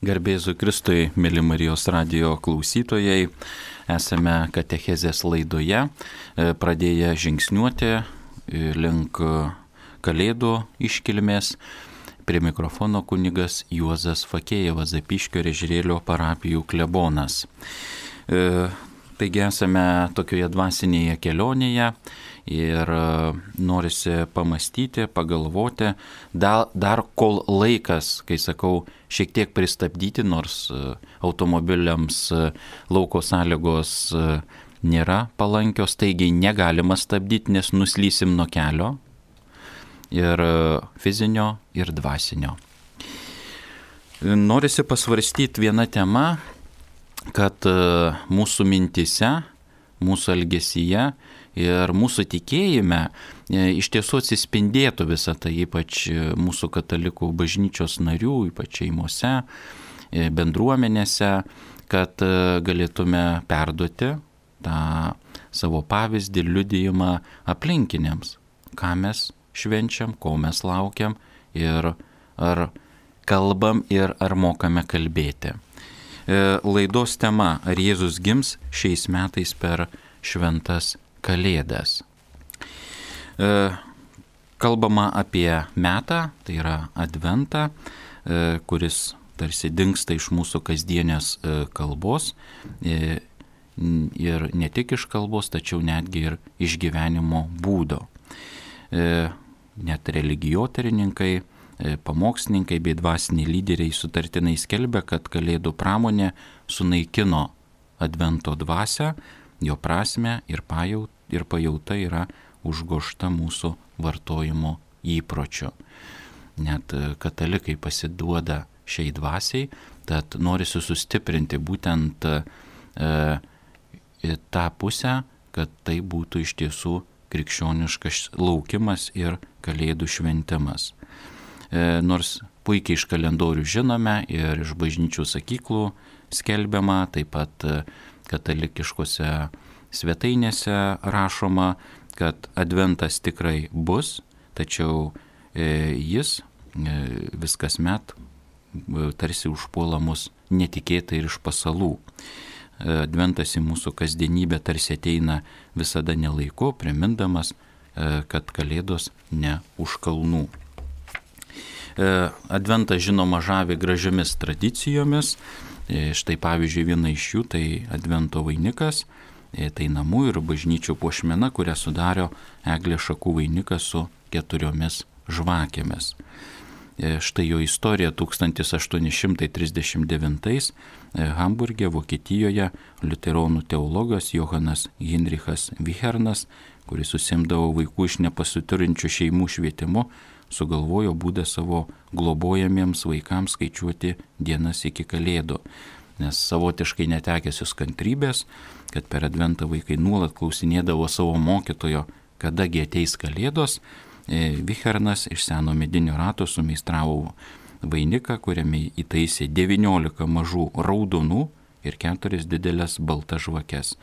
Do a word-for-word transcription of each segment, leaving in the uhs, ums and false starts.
Garbėzu Kristui, mėly Marijos radijo klausytojai, esame katechezės laidoje, pradėję žingsniuoti link Kalėdų iškilmės. Prie mikrofono kunigas Juozas Fakėjevas, Zapyškio ir Ežerėlio parapijų klebonas. Taigi esame tokioje dvasinėje kelionėje ir norisi pamastyti, pagalvoti, dar, dar kol laikas, kai sakau, šiek tiek pristabdyti, nors automobiliams lauko sąlygos nėra palankios, taigi negalima stabdyti, nes nuslysim nuo kelio ir fizinio, ir dvasinio. Norisi pasvarstyti vieną temą, kad mūsų mintise, mūsų elgesyje ir mūsų tikėjime iš tiesų atsispindėtų visą tai, ypač mūsų katalikų bažnyčios narių, ypač šeimose, bendruomenėse, kad galėtume perduoti tą savo pavyzdį, liudijimą aplinkiniams, ką mes švenčiam, ko mes laukiam ir ar kalbam ir ar mokame kalbėti. Laidos tema: ar Jėzus gims šiais metais per šventas Kalėdas. Kalbama apie metą, tai yra Adventą, kuris tarsi dingsta iš mūsų kasdienės kalbos ir ne tik iš kalbos, tačiau netgi ir iš gyvenimo būdo. Net religijoterininkai, pamokslininkai bei dvasiniai lyderiai sutartinai skelbia, kad Kalėdų pramonė sunaikino Advento dvasią, jo prasmę ir, pajaut, ir pajauta yra užgožta mūsų vartojimo įpročiu. Net katalikai pasiduoda šiai dvasiai, tad norisi sustiprinti būtent e, tą pusę, kad tai būtų iš tiesų krikščioniškas laukimas ir Kalėdų šventimas. E, nors puikiai iš kalendorių žinome ir iš bažnyčių sakyklų skelbiama, taip pat katalikiškose svetainėse rašoma, kad Adventas tikrai bus, tačiau e, jis e, vis kasmet e, tarsi užpuola mus netikėtai ir iš pasalų. Adventas į mūsų kasdienybę tarsi ateina visada nelaiku, primindamas, kad Kalėdos ne už kalnų. Adventas žinoma žavi gražiomis tradicijomis. Štai pavyzdžiui viena iš jų tai Advento vainikas, tai namų ir bažnyčių puošmena, kurią sudarė eglės šakų vainikas su keturiomis žvakėmis. Štai jo istorija: tūkstantis aštuoni šimtai trisdešimt devintais Hamburge, Vokietijoje, liuteronų teologas Johanas Heinrichas Vichernas, kuris užsiimdavo vaikų iš nepasiturinčių šeimų švietimu, sugalvojo būdą savo globojamiems vaikams skaičiuoti dienas iki Kalėdų, nes savotiškai netekęsius kantrybės, kad per Adventą vaikai nuolat klausinėdavo savo mokytojo, kadagi ateis Kalėdos, Vichernas iš seno medinio rato sumeistravo vainiką, kuriame įtaisė devyniolika mažų raudonų ir keturias didelės baltas žvakes.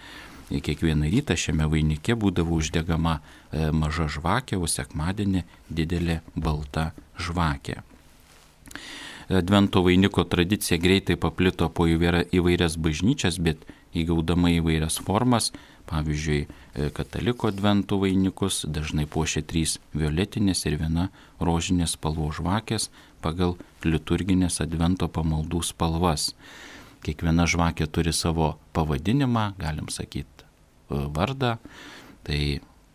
Kiekvieną rytą šiame vainike būdavo uždegama maža žvakė, o sekmadienį didelė balta žvakė. Advento vainiko tradicija greitai paplito po įvairias bažnyčias, bet įgaudama įvairias formas. Pavyzdžiui, kataliko Advento vainikus dažnai puošia trys violetinės ir viena rožinės spalvos žvakės pagal liturginės Advento pamaldų spalvas. Kiekviena žvakė turi savo pavadinimą, galim sakyti vardą. Tai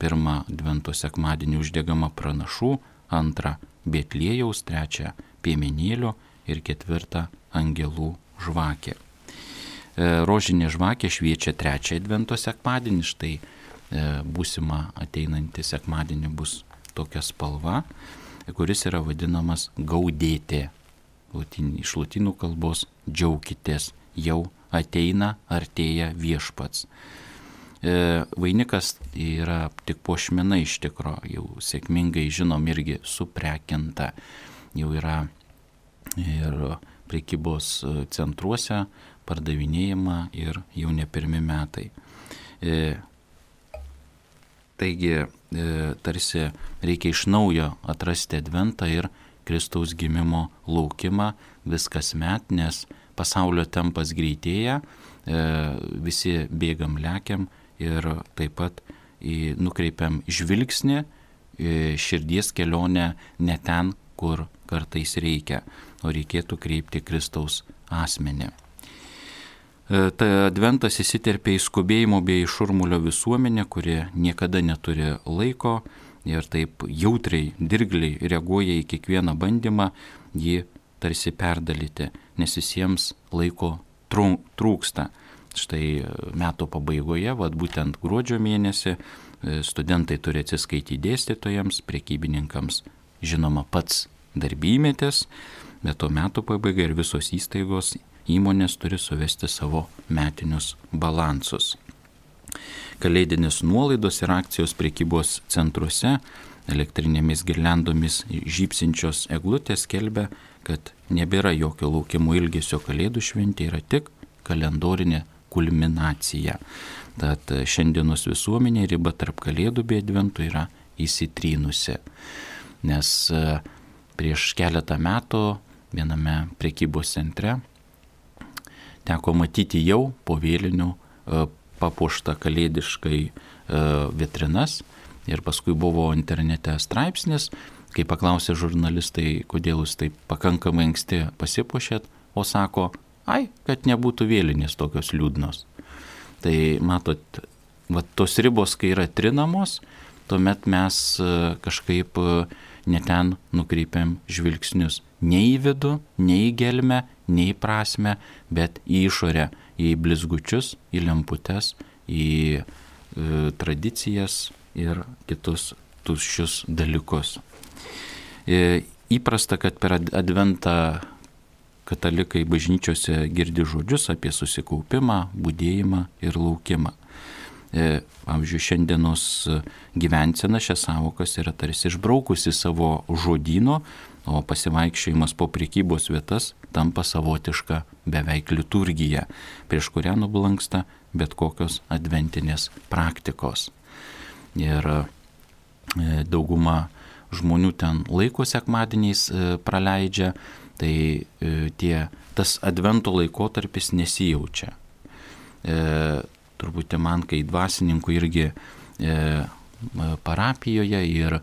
pirmą Advento sekmadienį uždegama pranašų, antrą Betliejaus, trečią piemenėlio ir ketvirtą angelų žvakė. Rožinė žvakė šviečia trečią Advento sekmadienį, štai būsima ateinantį sekmadienį bus tokia spalva, kuris yra vadinamas gaudėtė. Iš lotynų kalbos džiaukitės, jau ateina, artėja viešpats. Vainikas yra tik puošmena iš tikro, jau sėkmingai žinom irgi suprekinta, jau yra ir prekybos centruose pardavinėjama ir jau ne pirmi metai. E, taigi, e, tarsi reikia iš naujo atrasti Adventą ir Kristaus gimimo laukimą vis kasmet, nes pasaulio tempas greitėja, visi bėgam, lekiam ir taip pat nukreipiam žvilgsnį, širdies kelionę ne ten, kur kartais reikia, o reikėtų kreipti Kristaus asmenį. Ta adventas įsiterpia į skubėjimo bei šurmulio visuomenę, kuri niekada neturi laiko ir taip jautriai, dirgliai reaguoja į kiekvieną bandymą jį tarsi perdalyti, nes visiems laiko trūksta. Štai metų pabaigoje, vat būtent gruodžio mėnesį, studentai turi atsiskaityti dėstytojams, prekybininkams, žinoma, pats darbymetis, bet to metų pabaiga ir visos įstaigos, įmonės turi suvesti savo metinius balansus. Kalėdinės nuolaidos ir akcijos prekybos centruose elektrinėmis girliandomis žybsinčios eglutės skelbia, kad nebėra jokio laukimo ilgesio kalėdų šventė, yra tik kalendorinė kulminacija. Tad šiandienos visuomenė riba tarp kalėdų bei advento yra įsitrynusi. Nes prieš keletą metų viename prekybos centre teko matyti jau po vėlinių papuoštą kalėdiškai vitrinas ir paskui buvo internete straipsnis, kai paklausė žurnalistai, kodėl jūs taip pakankamai anksti pasipuošėt, o sako, ai, kad nebūtų vėlinės tokios liūdnos. Tai matot, va, tos ribos, kai yra trinamos, tuomet mes kažkaip ne ten nukreipiam žvilgsnius. Ne į vidų, ne į gelmę, ne į prasmę, bet į išorę, į blizgučius, į lemputes, į e, tradicijas ir kitus tuščius dalykus. E, įprasta, kad per adventą katalikai bažnyčiose girdi žodžius apie susikaupimą, budėjimą ir laukimą. E, pavyzdžiui, šiandienos gyvensena šias savokas yra tarsi išbraukusi savo žodyno, o pasivaikščiojimas po prekybos vietas tampa savotiška beveik liturgija, prieš kurią nublanksta bet kokios adventinės praktikos. Ir e, dauguma žmonių ten laiko sekmadieniais e, praleidžia, tai e, tie, tas advento laikotarpis nesijaučia. E, turbūt man, kai dvasininkų irgi e, parapijoje ir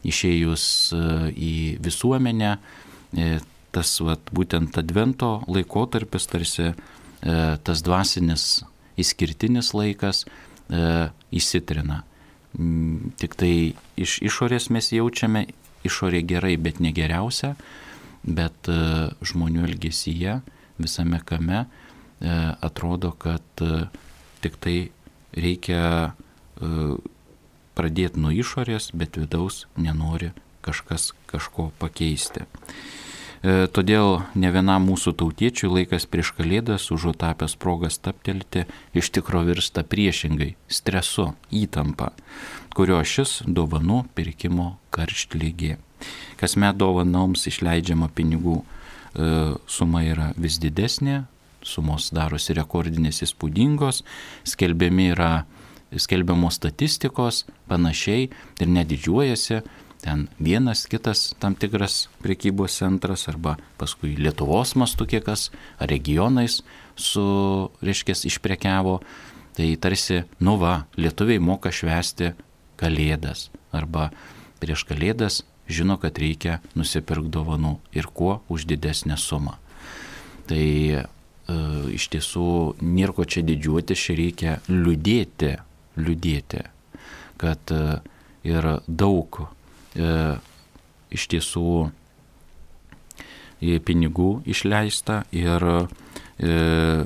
išėjus į visuomenę, tas vat, būtent advento laikotarpis, tarsi tas dvasinis išskirtinis laikas įsitrina. Tik tai iš išorės mes jaučiame, išorė gerai, bet negeriausia, bet žmonių elgesyje, visame kame atrodo, kad tik tai reikia pradėti nuo išorės, bet vidaus nenori kažkas kažko pakeisti. E, todėl ne vienam mūsų tautiečiui laikas prieš kalėdas užutapęs progas staptelti iš tikro virsta priešingai stresu, įtampa, kurio šis dovanų pirkimo karštligė. Kasmet dovanoms išleidžiama pinigų e, suma yra vis didesnė, sumos darosi rekordinės įspūdingos, skelbiami yra skelbiamos statistikos, panašiai ir nedidžiuojasi, ten vienas kitas tam tikras prekybos centras arba paskui Lietuvos mastu kiekas, ar regionais su, reiškės, išprekiavo, tai tarsi, nu va, lietuviai moka švęsti kalėdas arba prieš kalėdas žino, kad reikia nusipirkti dovanų ir kuo už didesnę sumą. Tai e, iš tiesų nieko čia didžiuotis, čia reikia liūdėti, liūdėti, kad ir daug e, iš tiesų pinigų išleista ir e,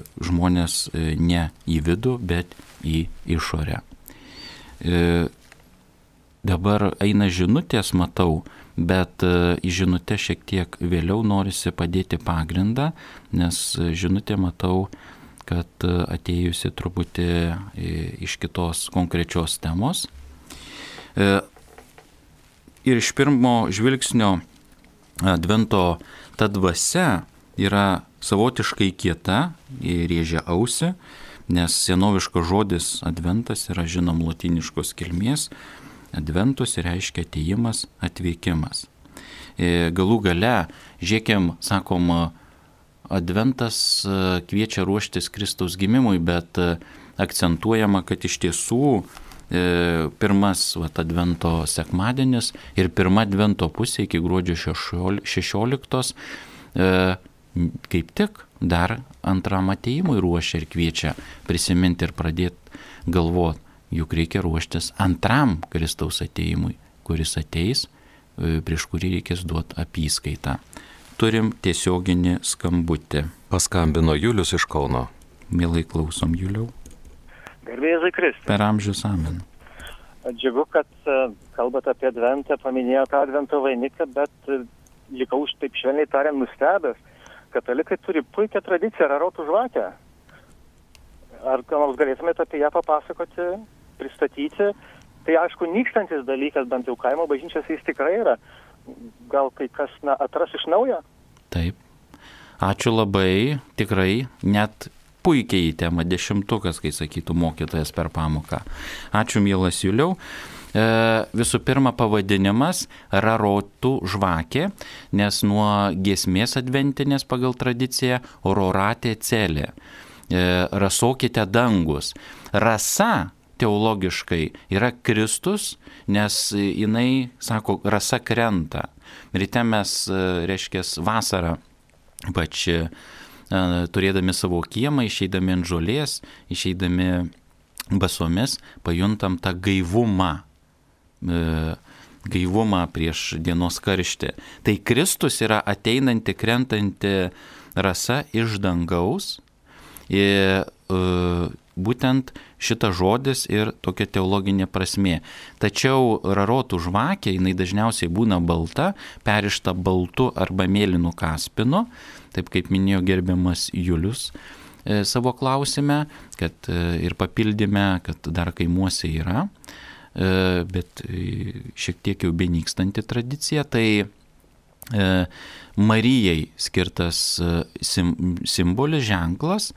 žmonės ne į vidų, bet į išorę. E, dabar eina žinutės, matau, bet e, į žinutę šiek tiek vėliau norisi padėti pagrindą, nes žinutė, matau, kad atėjusi truputį iš kitos konkrečios temos. Ir iš pirmo žvilgsnio advento ta dvasia yra savotiškai kieta, rėžia ausį, nes senoviškas žodis adventas yra žinom lotyniškos kilmės, adventus reiškia atėjimas, atvykimas. galų gale, žiūrėkim, sakom, adventas kviečia ruoštis Kristaus gimimui, bet akcentuojama, kad iš tiesų pirmas vat, advento sekmadienis ir pirma advento pusė iki gruodžio šešioliktos kaip tik dar antram atėjimui ruošia ir kviečia prisiminti ir pradėti galvoti, juk reikia ruoštis antram Kristaus atėjimui, kuris ateis, prieš kurį reikės duoti apyskaitą. Turim tiesioginį skambutį. Paskambino Julius iš Kauno. Mielai klausom, Juliau. Garbė Jėzui Kristui. Per amžius amen. Džiugu, kad kalbate apie adventą, paminėjote advento vainiką, bet likau už taip švelniai tariant nustebęs. Katalikai turi puikią tradiciją rarotų žvakę. Ar ką nors galėtumėte apie ją papasakoti, pristatyti? Tai aišku, nykstantis dalykas, bent jau kaimo bažnyčios jis tikrai yra. Gal kai kas na, atras iš naujo? Taip. Ačiū labai, tikrai, net puikiai į temą dešimtukas, kai sakytų mokytojas per pamoką. Ačiū, mielas Juliau. E, visų pirma, pavadinimas rarotų žvakė, nes nuo giesmės adventinės pagal tradiciją roratė celė. E, rasokite dangus. Rasa teologiškai yra Kristus, nes jinai, sako, rasa krenta. Ryte mes, reiškia, vasarą, pač turėdami savo kiemą, išeidami ant žolės, išeidami basomis, pajuntam tą gaivumą, gaivumą prieš dienos karštį. Tai Kristus yra ateinanti, krentanti rasa iš dangaus ir būtent šitas žodis ir tokia teologinė prasmė. Tačiau rarotų žvakė, jinai dažniausiai būna balta, perišta baltu arba mėlynu kaspinu, taip kaip minėjo gerbiamas Julius e, savo klausime, kad e, ir papildyme, kad dar kaimuose yra, e, bet e, šiek tiek jau benykstanti tradicija, tai e, Marijai skirtas e, sim, simbolis, ženklas.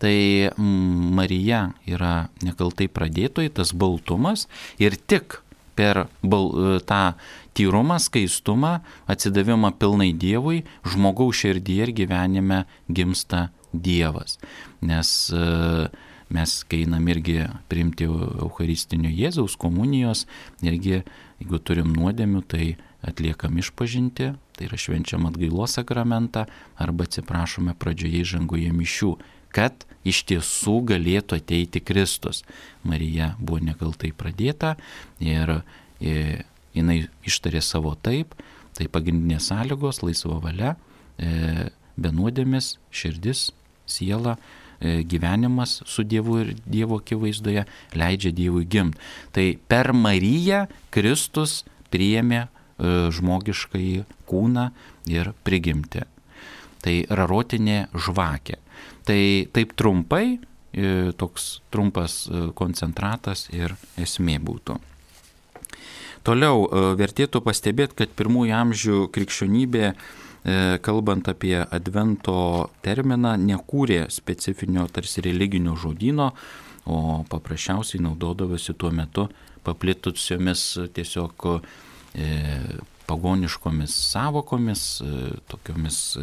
Tai Marija yra nekaltai pradėtoji, tas baltumas, ir tik per bal, tą tyrumą, skaistumą, atsidavimą pilnai Dievui, žmogaus širdyje ir gyvenime gimsta Dievas. Nes mes, kai einam irgi priimti Eucharistinio Jėzaus komunijos, irgi, jeigu turim nuodėmių, tai atliekam išpažinti, tai yra švenčiam atgailos sakramentą, arba atsiprašome pradžioje įžangoje mišių, kad iš tiesų galėtų ateiti Kristus. Marija buvo nekaltai pradėta ir jinai ištarė savo taip, tai pagrindinės sąlygos, laisva valia, be nuodėmės, širdis, siela, gyvenimas su Dievu ir Dievo akivaizdoje leidžia Dievui gimti. Tai per Mariją Kristus priėmė žmogiškąjį kūną ir prigimtį. Tai rarotinė žvakė. Tai taip trumpai, toks trumpas koncentratas ir esmė būtų. Toliau vertėtų pastebėti, kad pirmųjų amžių krikščionybė, kalbant apie advento terminą, nekūrė specifinio tarsi religinio žodyno, o paprasčiausiai naudodavosi tuo metu paplitusiomis tiesiog pagoniškomis savokomis, tokiomis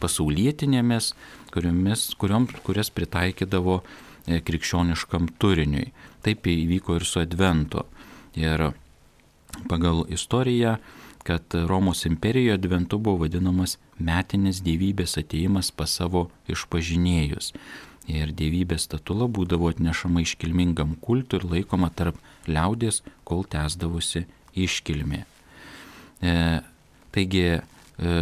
pasaulietinėmis, kuriomis, kuriom, kurias pritaikydavo krikščioniškam turiniui. Taip įvyko ir su adventu. Ir pagal istoriją, kad Romos imperijoje adventu buvo vadinamas metinis dievybės atėjimas pas savo išpažinėjus. Ir dievybės statula būdavo atnešama iškilmingam kultui ir laikoma tarp liaudės, kol tęsdavosi iškilmė. E, taigi, e,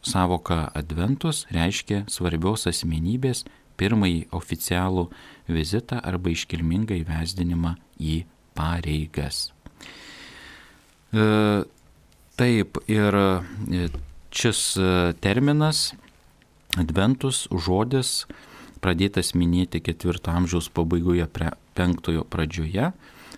savoka adventus reiškia svarbios asmenybės pirmąjį oficialų vizitą arba iškilmingą įvesdinimą į pareigas. E, taip, ir šis terminas, adventus, žodis, pradėtas minėti ketvirto amžiaus pabaigoje, penktojo pradžioje,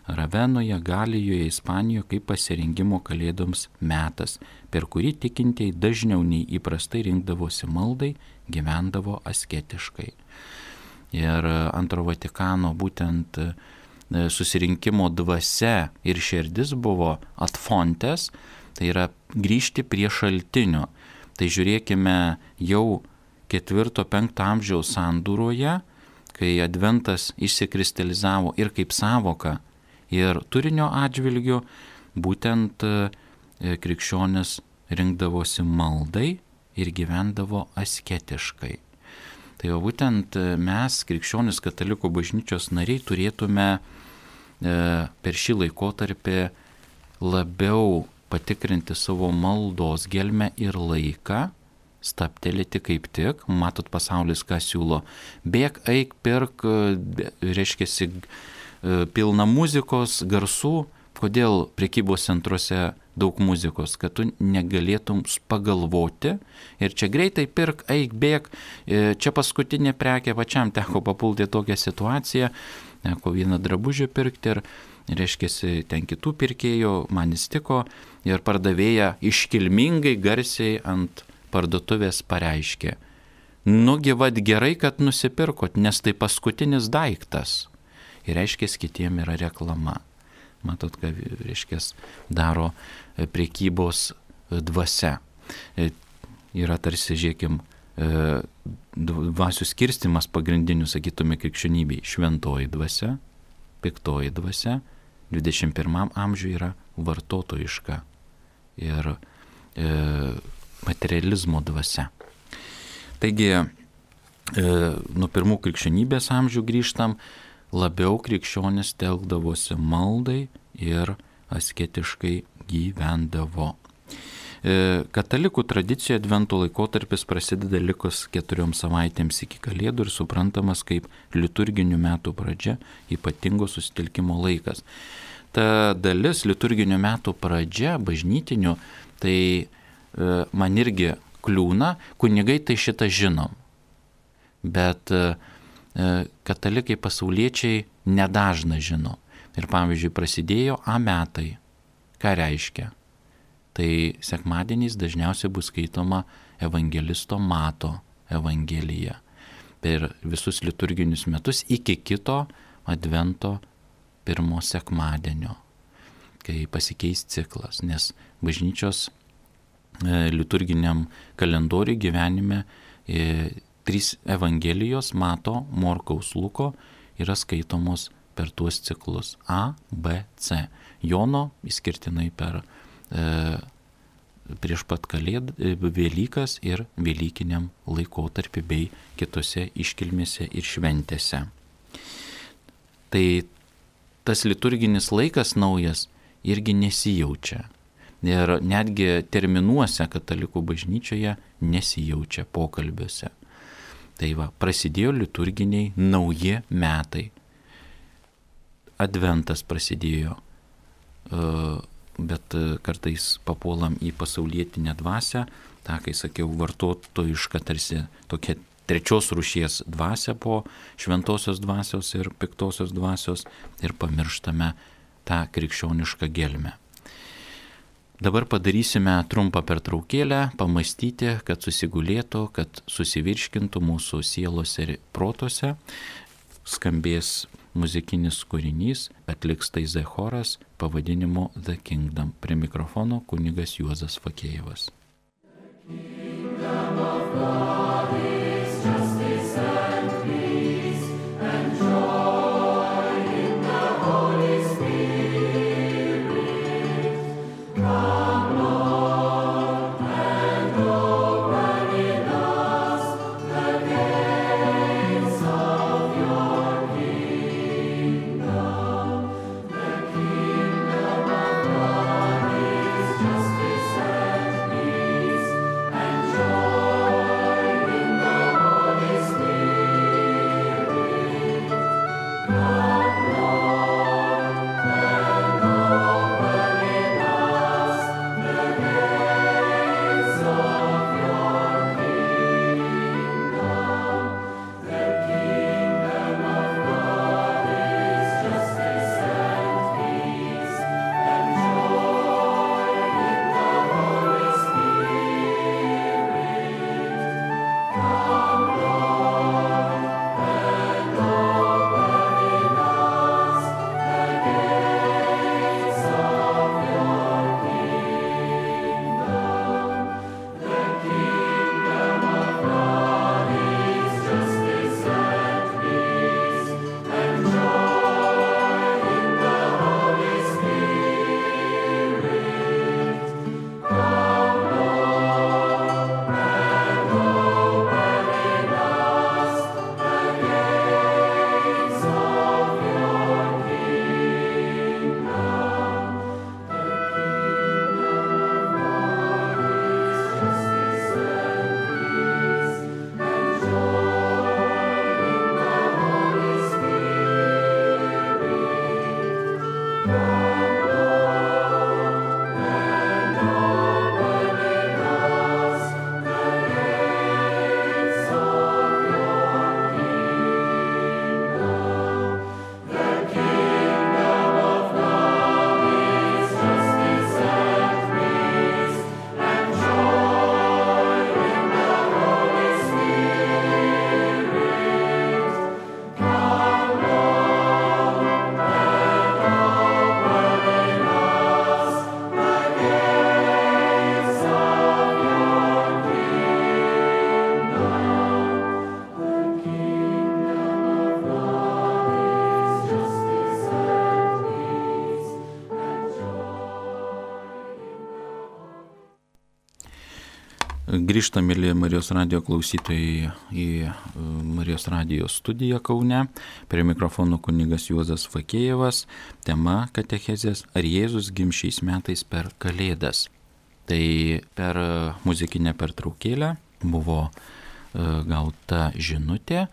Ravenoje, Galijoje, Ispanijoje kaip pasirengimo kalėdoms metas, per kurį tikintieji dažniau nei įprastai rinkdavosi maldai, gyvendavo asketiškai. Ir antro Vatikano būtent susirinkimo dvasia ir širdis buvo ad fontes, Tai yra grįžti prie šaltinio. Tai žiūrėkime jau ketvirto penkto amžiaus sandūroje, kai adventas išsikristalizavo ir kaip savoka, ir turinio atžvilgiu, būtent krikščionis rinkdavosi maldai ir gyvendavo asketiškai. Tai jau būtent mes, krikščionis katalikų bažnyčios nariai, turėtume per šį laikotarpį labiau patikrinti savo maldos gelmę ir laiką, staptelėti kaip tik, matot pasaulis ką siūlo, bėk, eik, pirk, reiškiasi pilna muzikos, garsų, kodėl prekybos centruose daug muzikos, kad tu negalėtum pagalvoti ir čia greitai pirk, eik, bėk, čia paskutinė prekė, pačiam teko papulti tokią situaciją, teko vieną drabužį pirkti ir reiškiasi ten kitų pirkėjų, man įstiko ir pardavėja iškilmingai garsiai ant parduotuvės pareiškė: nugi vat gerai, kad nusipirkot, nes tai paskutinis daiktas. Ir reiškia, kitiem yra reklama. Matot, ką reiškia daro prekybos dvasia. Yra tarsi, žiūrėkim, dvasių skirstimas pagrindinių, sakytume, krikščionybei. Šventoji dvasia, piktoji dvasia, dvidešimt pirmam amžiuje yra vartotojiška ir e, materializmo dvasia. Taigi, e, nuo pirmų krikščionybės amžių grįžtam, labiau krikščionis telkdavosi maldai ir asketiškai gyvendavo. E, katalikų tradicijoje advento laikotarpis prasideda likus keturiom savaitėms iki Kalėdų ir suprantamas kaip liturginių metų pradžia, ypatingo susitelkimo laikas. Ta dalis liturginių metų pradžia, bažnytinių, tai e, man irgi kliūna, kunigai tai šitą žinom. Bet e, katalikai pasauliečiai nedažna žino. Ir pavyzdžiui, prasidėjo A metai. Ką reiškia? Tai sekmadieniais dažniausiai bus skaitoma evangelisto Mato evangelija. Per visus liturginius metus iki kito advento pirmo sekmadienio, kai pasikeis ciklas, nes bažnyčios e, liturginiam kalendoriui gyvenime e, trys evangelijos Mato, Morkaus, Luko yra skaitomos per tuos ciklus A, B, C. Jono išskirtinai per e, prieš pat Kalėd, e, Velykas ir Velykiniam laikotarpį bei kitose iškilmėse ir šventėse. Tai tas liturginis laikas naujas irgi nesijaučia. Ir netgi terminuose katalikų bažnyčioje nesijaučia pokalbiuose. Tai va, prasidėjo liturginiai nauji metai. Adventas prasidėjo, bet kartais papuolam į pasaulietinę dvasią, tą, kai sakiau, vartotojišką tarsi tokia trečios rūšies dvasia po šventosios dvasios ir piktosios dvasios ir pamirštame tą krikščionišką gelmę. Dabar padarysime trumpą pertraukėlę, pamastyti, kad susigulėtų, kad susivirškintų mūsų sielose ir protuose. Skambės muzikinis kūrinys, atliks Taizė choras pavadinimu The Kingdom. Prie mikrofono kunigas Juozas Fakėjevas. Grįžtam, mėly Marijos radijo klausytojai, į Marijos radijo studiją Kaune. Prie mikrofono kunigas Juozas Fakėjevas. Tema katechezės: ar Jėzus gims šiais metais per Kalėdas. Tai per muzikinę pertraukėlę buvo gauta žinutė,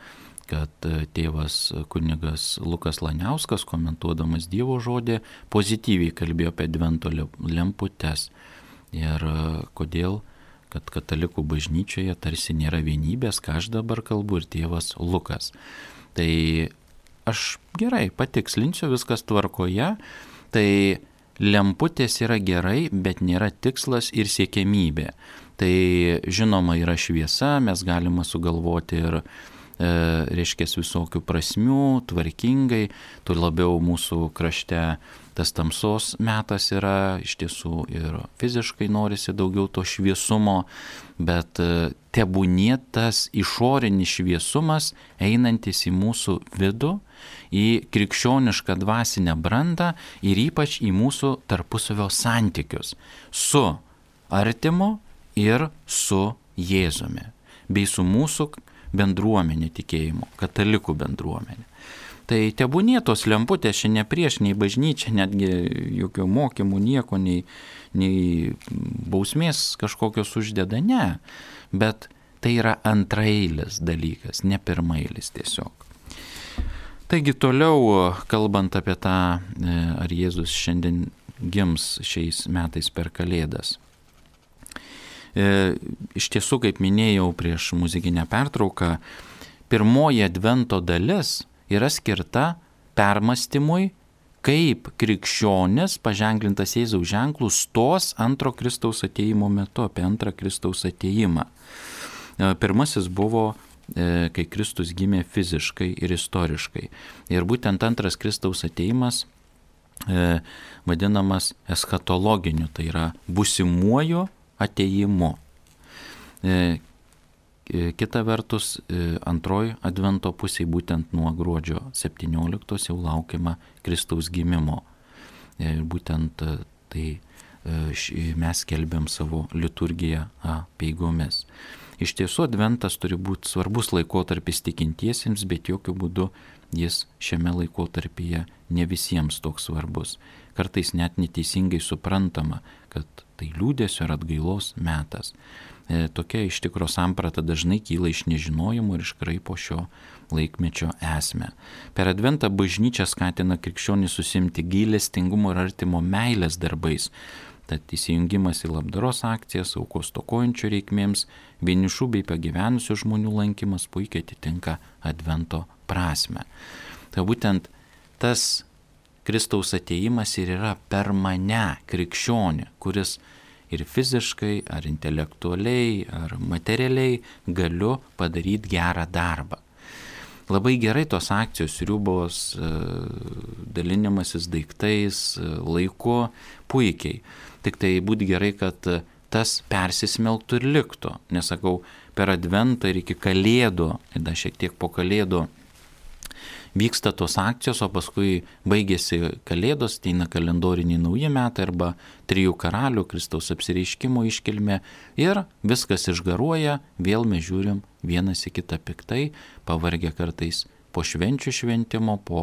kad tėvas kunigas Lukas Laniauskas, komentuodamas Dievo žodį, pozityviai kalbėjo apie advento lemputes. Ir kodėl, kad katalikų bažnyčioje tarsi nėra vienybės, ką aš dabar kalbu, ir tėvas Lukas. Tai aš gerai patikslinsiu, viskas tvarkoje. Tai lemputės yra gerai, bet nėra tikslas ir siekiamybė. Tai žinoma yra šviesa, mes galime sugalvoti ir e, reiškia visokių prasmių, tvarkingai, tuo labiau mūsų krašte tas tamsos metas yra, iš tiesų ir fiziškai norisi daugiau to šviesumo, bet e, tebūnie tas išorinis šviesumas einantis į mūsų vidų, į krikščionišką dvasinę brandą ir ypač į mūsų tarpusavio santykius su artimu ir su Jėzumi, bei su mūsų bendruomenė tikėjimo, katalikų bendruomenė. Tai tebūnie tos lemputės čia ne prieš, nei bažnyčia, netgi jokių mokymų, nieko, nei, nei bausmės kažkokios uždeda, ne. Bet tai yra antraeilis dalykas, ne pirmailis tiesiog. Taigi toliau, kalbant apie tą, ar Jėzus šiandien gims šiais metais per Kalėdas. E, iš tiesų, kaip minėjau prieš muzikinę pertrauką, pirmoji advento dalis yra skirta permastymui, kaip krikščionis paženklintas Jėzaus ženklų stos antro Kristaus atėjimo metu, apie antrą Kristaus atėjimą. E, pirmasis buvo, e, kai Kristus gimė fiziškai ir istoriškai. Ir būtent antras Kristaus atėjimas e, vadinamas eschatologiniu, tai yra būsimuoju atėjimu. E, kita vertus, e, antroji advento pusė, būtent nuo gruodžio septynioliktos jau laukiama Kristaus gimimo. Ir e, būtent e, tai e, š, mes skelbiam savo liturgiją apeigomis. Iš tiesų, adventas turi būti svarbus laikotarpis tikintiesiems, bet jokių būdų jis šiame laikotarpyje ne visiems toks svarbus. Kartais net neteisingai suprantama, kad tai liūdesio ir atgailos metas. E, tokia iš tikro samprata dažnai kyla iš nežinojimo ir iškraipo šio laikmečio esmę. Per adventą bažnyčia skatina krikščionį susimti gailestingumo ir artimo meilės darbais. Tad įsijungimas į labdaros akcijas, aukos stokojančių reikmėms, vienišų bei pagyvenusių žmonių lankymas puikiai atitinka advento prasme. Tai būtent tas Kristaus atėjimas ir yra per mane, krikščionį, kuris ir fiziškai, ar intelektualiai, ar materialiai galiu padaryti gerą darbą. Labai gerai tos akcijos, riubos, dalinimasis daiktais, laiku, puikiai. Tik tai būtų gerai, kad tas persismelktų ir liktų. Nesakau, per adventą ir iki Kalėdų, ir dar šiek tiek po Kalėdų vyksta tos akcijos, o paskui baigėsi Kalėdos, ateina kalendoriniai nauji metai arba trijų karalių, Kristaus apsireiškimo iškilmė ir viskas išgaruoja, vėl mes žiūrim vienas į kitą piktai, pavargę kartais po švenčių šventimo, po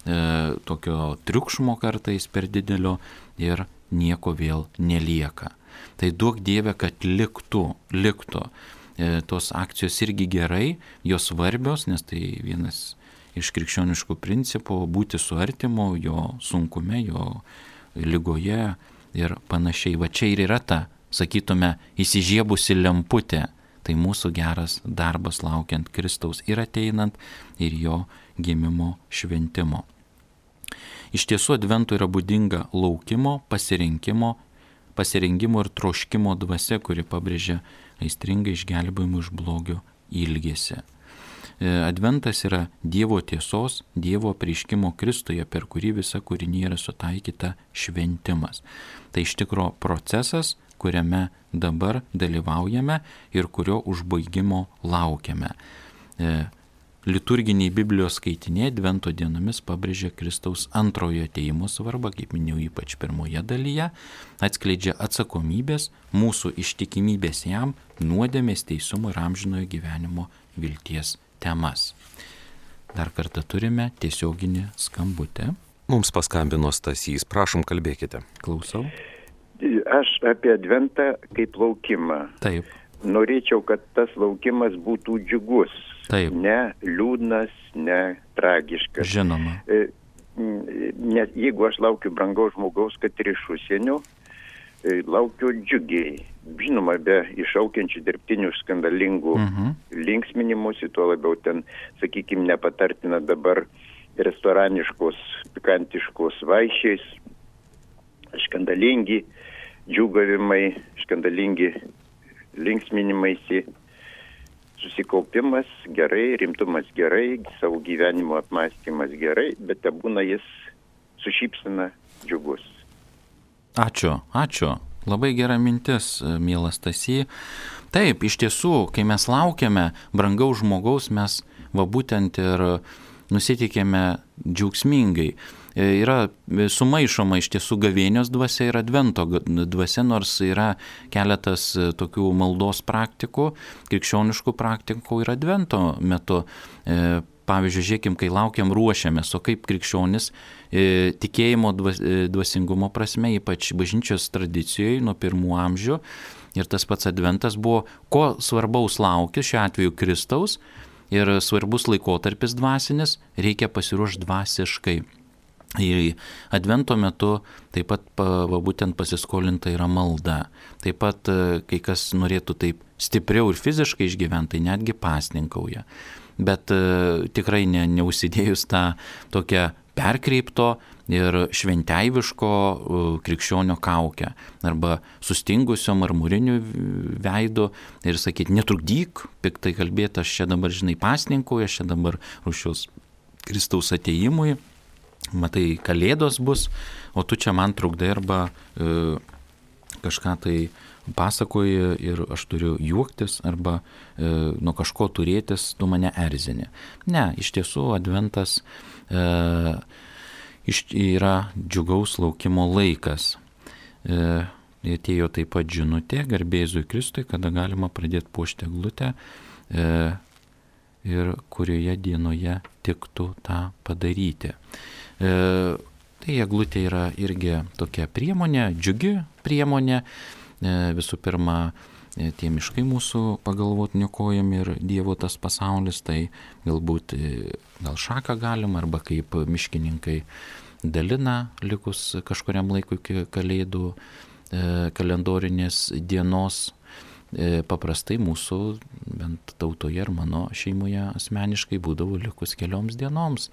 e, tokio triukšmo kartais per didelio ir nieko vėl nelieka. Tai duok Dieve, kad liktų, liktų. E, tos akcijos irgi gerai, jos svarbios, nes tai vienas iš krikščioniškų principų būti su artimu, jo sunkume, jo ligoje ir panašiai. Va čia ir yra ta, sakytume, įsižiebusi lemputė. Tai mūsų geras darbas laukiant Kristaus ir ateinant ir jo gimimo šventimo. Iš tiesų adventui yra būdinga laukimo, pasirinkimo, pasirinkimo ir troškimo dvasia, kuri pabrėžia aistringą išgelbėjimą iš blogio ilgesį. Adventas yra Dievo tiesos, Dievo apreiškimo Kristuje, per kurį visa kūrinė yra sutaikyta šventimas. Tai iš tikro procesas, kuriame dabar dalyvaujame ir kurio užbaigimo laukiame. liturginiai Biblijos skaitiniai Advento dienomis pabrėžia Kristaus antrojo atėjimo svarbą, kaip minėjau, ypač pirmoje dalyje, atskleidžia atsakomybės, mūsų ištikimybės jam, nuodėmės, teisumo ir amžinojo gyvenimo vilties temas. Dar kartą turime tiesioginį skambutę. Mums paskambino Stasys, prašom kalbėkite. Klausau. Aš apie Adventą kaip laukimą. Taip. Norėčiau, kad tas laukimas būtų džiugus. Taip. Ne liūdnas, ne tragiškas. Žinoma. Nes jeigu aš laukiu brangaus žmogaus, kad ir iš užsienio, laukiu džiugiai. Žinoma, be iššaukiančių dirbtinių skandalingų uh-huh. linksminimusi, tuo labiau ten, sakykime, nepatartina dabar restoraniškos, pikantiškos vaišiais, skandalingi džiūgavimai, skandalingi linksminimaisi, susikaupimas gerai, rimtumas gerai, savo gyvenimo apmąstymas gerai, bet te būna jis su šypsena džiugus. Ačiū, ačiū. Labai gera mintis, mielas Stasy. Taip, iš tiesų, kai mes laukiame brangaus žmogaus, mes va būtent ir nusiteikėme džiaugsmingai. Yra sumaišoma iš tiesų gavėnios dvasia ir Advento dvasia, nors yra keletas tokių maldos praktikų, krikščioniškų praktikų ir Advento metu. Pavyzdžiui, žiūrėkim, kai laukiam, ruošiamės, o kaip krikščionis tikėjimo dvasingumo prasme, ypač bažnyčios tradicijoje nuo pirmų amžių, ir tas pats Adventas buvo, ko svarbaus laukia, šiuo atveju Kristaus, ir svarbus laikotarpis dvasinis, reikia pasiruošti dvasiškai. Ir Advento metu taip pat va, būtent pasiskolinta yra malda. Taip pat, kai kas norėtų taip stipriau ir fiziškai išgyventi, tai netgi pasninkauja. Bet uh, tikrai ne, neužsidėjus tą tokią perkreipto ir šventeiviško uh, krikščionio kaukę arba sustingusio marmuriniu veidu ir sakyti, netrukdyk, piktai kalbėti, aš čia dabar, žinai, pasninkauju, aš čia dabar ruošiuos Kristaus atėjimui, matai, kalėdos bus, o tu čia man trukdai arba uh, kažką tai pasakoji ir aš turiu juoktis arba e, nuo kažko turėtis, tu mane erzini. Ne, iš tiesų Adventas e, iš, yra džiugaus laukimo laikas. E, atėjo taip pat žinutė, garbė Jėzui Kristui, kada galima pradėti puošti eglutę e, ir kurioje dienoje tiktų tą padaryti. E, tai eglutė yra irgi tokia priemonė, džiugi priemonė. Visų pirma, tie miškai mūsų pagalvot niokojami ir Dievo tas pasaulis, tai galbūt gal šaką galima, arba kaip miškininkai dalina likus kažkuriam laikui iki kalėdų kalendorinės dienos. Paprastai mūsų, bent tautoje ir mano šeimoje asmeniškai būdavo likus kelioms dienoms.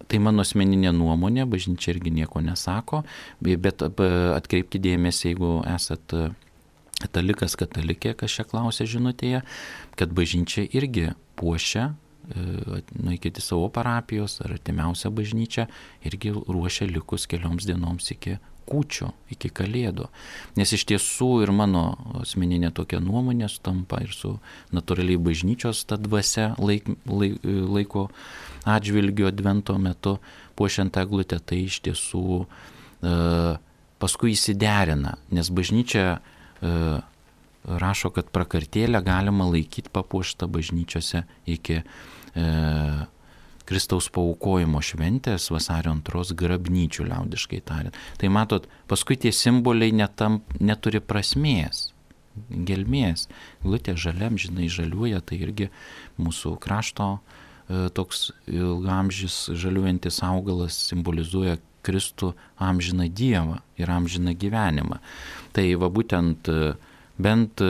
Tai mano asmeninė nuomonė, bažnyčia irgi nieko nesako, bet atkreipkite dėmesį, jeigu esat katalikas, katalikė, kas čia klausė žinutėje, kad bažnyčia irgi puošia, nueikite savo parapijos ar artimiausią bažnyčią, irgi ruošia likus kelioms dienoms iki kūčių, iki kalėdų. Nes iš tiesų ir mano asmeninė tokia nuomonė sutampa ir su natūraliai bažnyčios ta dvasia laik, laik, laiko atžvilgiu Advento metu puošiant eglutę, tai iš tiesų e, paskui įsiderina, nes bažnyčia e, rašo, kad prakartėlę galima laikyti papuoštą bažnyčiose iki e, Kristaus paaukojimo šventės vasario antros grabnyčių, liaudiškai tariant. Tai matot, paskui tie simboliai netam, neturi prasmės, gelmės. Glutė žaliam, žinai, žaliuoja, tai irgi mūsų krašto e, toks ilgamžis žaliuojantis augalas simbolizuoja Kristų amžiną Dievą ir amžiną gyvenimą. Tai va būtent bent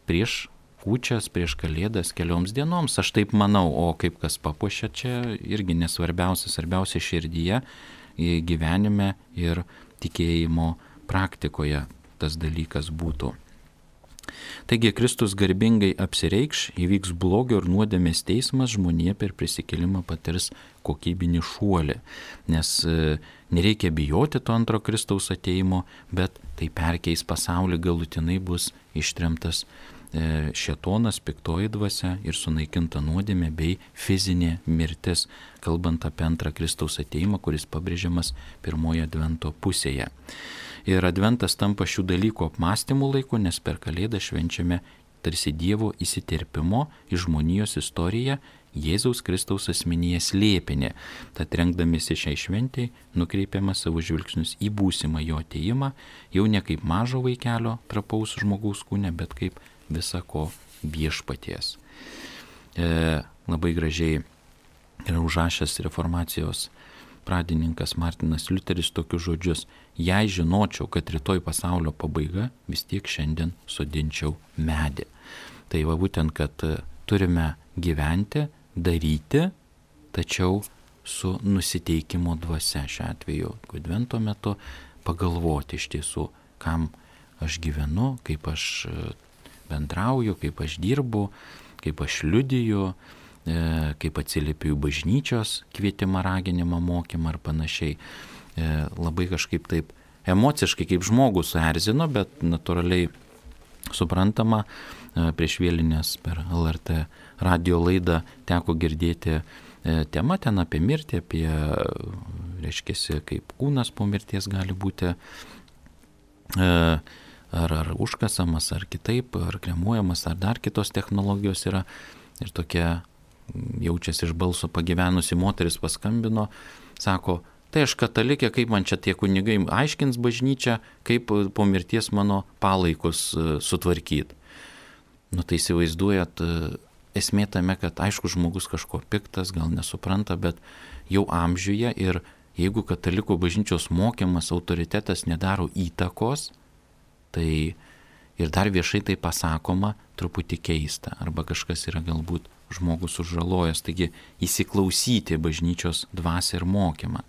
prieš kūčias, prieš kalėdas kelioms dienoms, aš taip manau, o kaip kas papuošia, čia irgi nesvarbiausia, svarbiausia širdyje, gyvenime ir tikėjimo praktikoje tas dalykas būtų. Taigi Kristus garbingai apsireikš, įvyks blogio ir nuodėmės teismas, žmonija per prisikėlimą patirs kokybinį šuolį, nes nereikia bijoti to antro Kristaus atėjimo, bet tai perkeis pasaulį, galutinai bus ištremtas šėtonas, piktoji dvasia ir sunaikinta nuodėmė bei fizinė mirtis, kalbant apie antrą Kristaus ateimą, kuris pabrėžiamas pirmoje advento pusėje. Ir adventas tampa šių dalykų apmąstymų laiku, nes per Kalėdą švenčiame tarsi Dievo įsiterpimo į žmonijos istoriją Jėzaus Kristaus asmenyje slėpinį. Tad rengdamiesi šiai šventei nukreipiame savo žvilgsnius į būsimą jo ateimą, jau ne kaip mažo vaikelio trapaus žmogaus kūne, bet kaip visako viešpaties. E, labai gražiai yra užrašęs reformacijos pradininkas Martinas Liuteris tokius žodžius: jei žinočiau, kad rytoj pasaulio pabaiga, vis tiek šiandien sodinčiau medį. Tai va būtent, kad turime gyventi, daryti, tačiau su nusiteikimo dvasia šiuo atveju. Advento metu pagalvoti iš tiesų, kam aš gyvenu, kaip aš bendrauju, kaip aš dirbu, kaip aš liudiju, kaip atsiliepiu bažnyčios kvietimą, raginimą, mokymą ar panašiai. Labai kažkaip taip emociškai kaip žmogus suerzino, bet natūraliai suprantama. Prieš vėlinės per L R T radio laidą teko girdėti temą ten apie mirtį, apie, reiškiasi, kaip kūnas po mirties gali būti ar, ar užkasamas, ar kitaip, ar kremuojamas, ar dar kitos technologijos yra. Ir tokia jaučiasi iš balso pagyvenusi moteris paskambino, sako: tai aš katalikė, kaip man čia tie kunigai aiškins bažnyčią, kaip po mirties mano palaikus sutvarkyti. Nu tai įsivaizduojat, esmė tame, kad aišku žmogus kažko piktas, gal nesupranta, bet jau amžiuje, ir jeigu katalikų bažnyčios mokymas, autoritetas nedaro įtakos, tai ir dar viešai tai pasakoma, truputį keista, arba kažkas yra galbūt žmogus sužalojęs, taigi įsiklausyti bažnyčios dvasią ir mokymą.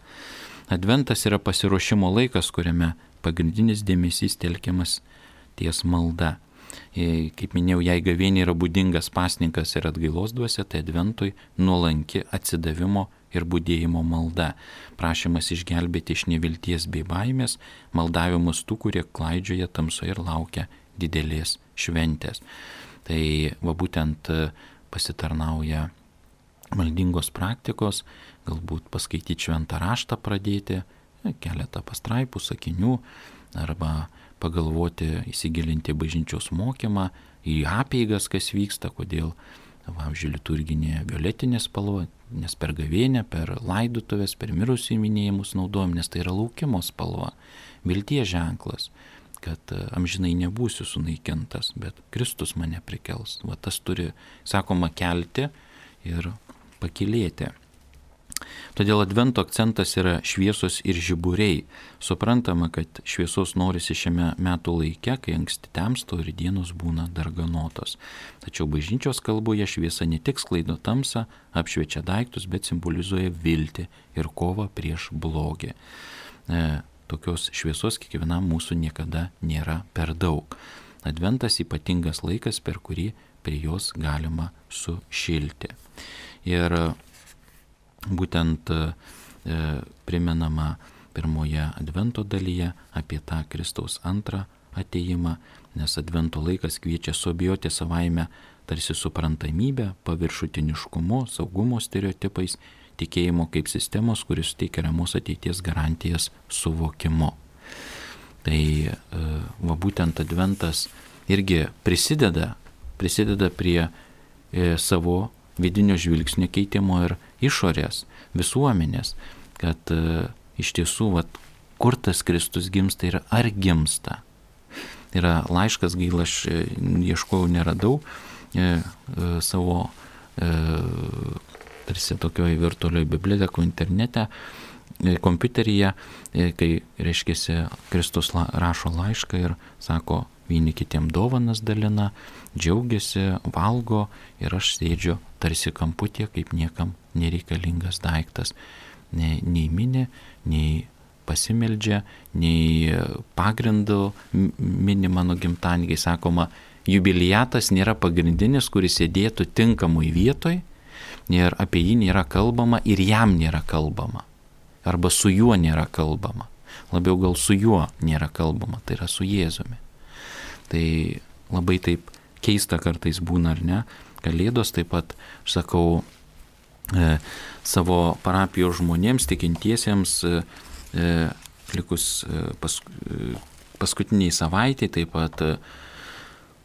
Adventas yra pasiruošimo laikas, kuriame pagrindinis dėmesys telkiamas ties malda. Kaip minėjau, jei gavėniai yra būdingas pasninkas ir atgailos dvasia, tai adventui nuolanki atsidavimo ir budėjimo malda, prašymas išgelbėti iš nevilties bei baimės, maldavimus tų, kurie klaidžioja tamsoje ir laukia didelės šventės. Tai va būtent pasitarnauja maldingos praktikos, galbūt paskaityti šventą raštą pradėti, keletą pastraipų, sakinių, arba pagalvoti, įsigilinti bažnyčios mokymą, į apeigas, kas vyksta, kodėl, pavyzdžiui, liturginė violetinė spalva, nes per gavėnę, per laidotuvės, per mirusių minėjimus naudojam, nes tai yra laukimo spalva, vilties ženklas, kad amžinai nebūsiu sunaikintas, bet Kristus mane prikels. Va tas turi, sakoma, kelti ir pakilėti. Todėl advento akcentas yra šviesos ir žiburiai. Suprantama, kad šviesos norisi šiame metų laike, kai anksti temsta ir dienos būna darganotos. Tačiau bažnyčios kalboje šviesa ne tik sklaido tamsą, apšviečia daiktus, bet simbolizuoja viltį ir kovą prieš blogį. E, tokios šviesos kiekvienam mūsų niekada nėra per daug. Adventas ypatingas laikas, per kurį prie jos galima sušilti. Ir būtent e, primenama pirmoje advento dalyje apie tą Kristaus antrą ateimą, nes advento laikas kviečia suabejoti savaime tarsi suprantamybę, paviršutiniškumu, saugumo stereotipais, tikėjimo kaip sistemos, kuris suteikia ramos ateities garantijas suvokimu. Tai e, va būtent adventas irgi prisideda, prisideda prie e, savo vidinio žvilgsnio keitimo ir išorės, visuomenės, kad e, iš tiesų, vat, kur tas Kristus gimsta ir ar gimsta. Yra laiškas, gaila, aš e, ieškojau, neradau e, e, savo e, tarsi tokioje virtualioje bibliotekoje internete, e, kompiuteryje, e, kai, reiškiasi, Kristus la, rašo laišką ir sako, vieni kitiem dovanas dalina, džiaugiasi, valgo ir aš sėdžiu tarsi kamputė, kaip niekam nereikalingas daiktas. Nei, nei mini, nei pasimeldžia, nei pagrindų mini mano gimtadienį, sakoma, jubiliatas nėra pagrindinis, kuris sėdėtų tinkamui vietoj, ir apie jį nėra kalbama ir jam nėra kalbama. Arba su juo nėra kalbama. Labiau gal su juo nėra kalbama, tai yra su Jėzumi. Tai labai taip keista kartais būna, ar ne? Kalėdos taip pat, aš sakau, e, savo parapijos žmonėms, tikintiesiems, e, e, likus e, pas, e, paskutiniai savaitė, taip pat e,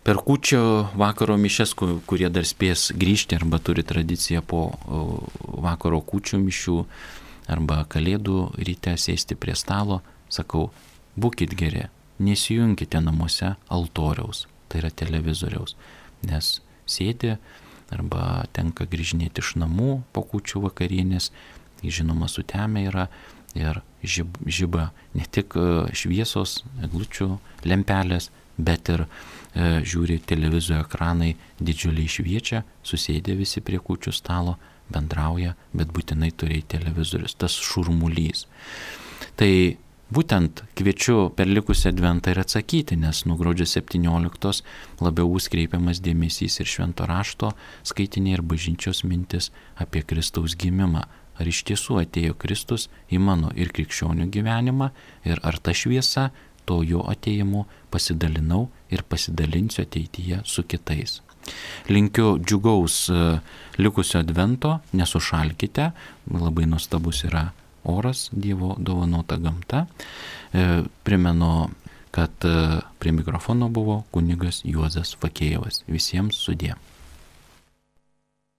per kūčio vakaro mišes, kurie dar spės grįžti arba turi tradiciją po vakaro kūčių mišių arba kalėdų ryte sėsti prie stalo, sakau, būkit geri, nesijungkite namuose altoriaus, tai yra televizoriaus, nes sėdi arba tenka grįžinėti iš namų po kūčių vakarienės, žinoma, sutemė yra ir žib, žiba ne tik šviesos, eglučių lempelės, bet ir e, žiūri televizijos ekranai, didžiuliai šviečia, susėdė visi prie kūčių stalo, bendrauja, bet būtinai turi televizorius, tas šurmulys. Tai būtent kviečiu per likusią adventą ir atsakyti, nes nuo gruodžio septynioliktos labiau bus kreipiamas dėmesys ir švento rašto skaitiniai ir bažnyčios mintis apie Kristaus gimimą. Ar iš tiesų atėjo Kristus į mano ir krikščionių gyvenimą ir ar ta šviesa to jo atėjimu pasidalinau ir pasidalinsiu ateityje su kitais. Linkiu džiugaus likusio advento, nesušalkite, labai nuostabus yra oras, Dievo dovanota gamta. Primenu, kad prie mikrofono buvo kunigas Juozas Fakėjevas. Visiems sudie.